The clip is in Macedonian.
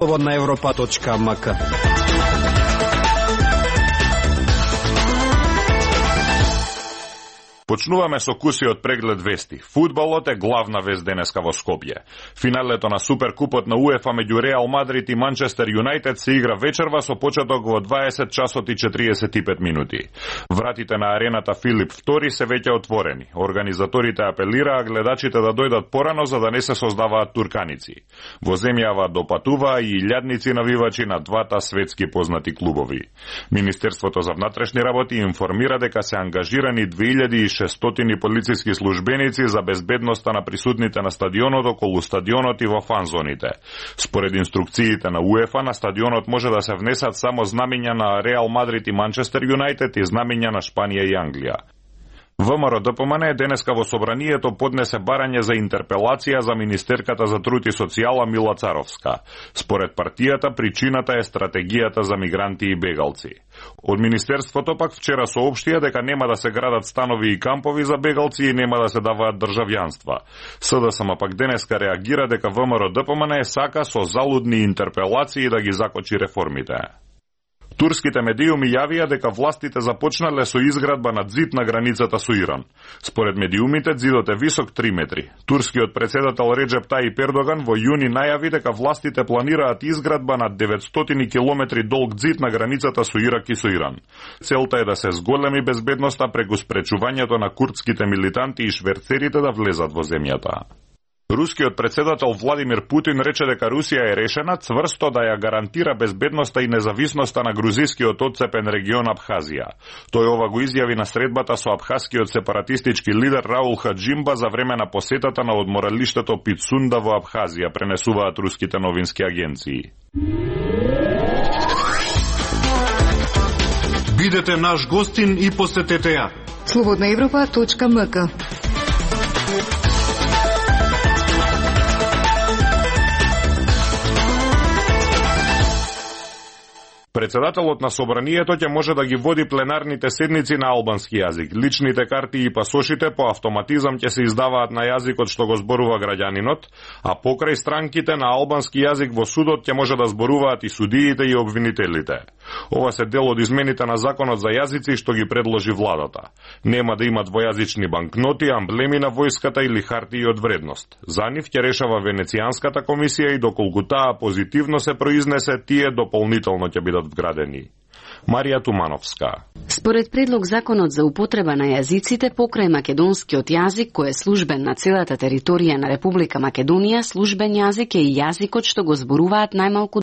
Slobodna Evropa.mk. Почнуваме со кусиот преглед вести. Фудбалот е главна вест денеска во Скопје. Финалето на Суперкупот на УЕФА меѓу Реал Мадрид и Манчестер Юнајтед се игра вечерва со почеток во 20 часот и 45 минути. Вратите на арената Филип II се веќе отворени. Организаторите апелираа гледачите да дојдат порано за да не се создаваат турканици. Во земјава допатуваа и илјадници навивачи на двата светски познати клубови. Министерството за внатрешни работи информира дека се ангажирани 2600 полициски службеници за безбедноста на присутните на стадионот, околу стадионот и во фанзоните. Според инструкциите на УЕФА, на стадионот може да се внесат само знамења на Реал Мадрид и Манчестер Юнајтед и знамења на Шпанија и Англија. ВМРО ДПМН денеска во собранието поднесе барање за интерпелација за министерката за труд и социјала Мила Царовска. Според партијата, причината е стратегијата за мигранти и бегалци. Од министерството пак вчера соопштија дека нема да се градат станови и кампови за бегалци и нема да се даваат државјанства. СДСМ пак денеска реагира дека ВМРО ДПМН сака со залудни интерпелации да ги закочи реформите. Турските медиуми јавија дека властите започнале со изградба на ѕид на границата со Иран. Според медиумите, ѕидот е висок 3 метри. Турскиот председател Реджеп Тајип Ердоган во јуни најави дека властите планираат изградба на 900 километри долг ѕид на границата со Ирак и со Иран. Целта е да се зголеми безбедноста преку спречувањето на курдските милитанти и шверцерите да влезат во земјата. Рускиот председател Владимир Путин рече дека Русија е решена цврсто да ја гарантира безбедноста и независноста на грузискиот отцепен регион Абхазија. Тој ова го изјави на средбата со абхазскиот сепаратистички лидер Раул Хаджимба за време на посетата на одморалиштето Пицунда во Абхазија, пренесуваат руските новински агенции. Бидете наш гостин и посетете ја. Slobodnaevropa.mk. Председателот на собранието ќе може да ги води пленарните седници на албански јазик. Личните карти и пасошите по автоматизам ќе се издаваат на јазикот што го зборува граѓанинот, а покрај странките на албански јазик во судот ќе може да зборуваат и судиите и обвинителите. Ова се дел од измените на законот за јазици што ги предложи владата. Нема да имат двојазични банкноти, амблеми на војската или хартии од вредност. За нив ќе решава Венецијанската комисија и доколку таа позитивно се произнесе, тие дополнително ќе бидат вградени. Марија Тумановска. Според предлог законот за употреба на јазиците покрај македонскиот јазик, кој е службен на целата територија на Република Македонија, службен јазик е и јазикот што го зборуваат најмалку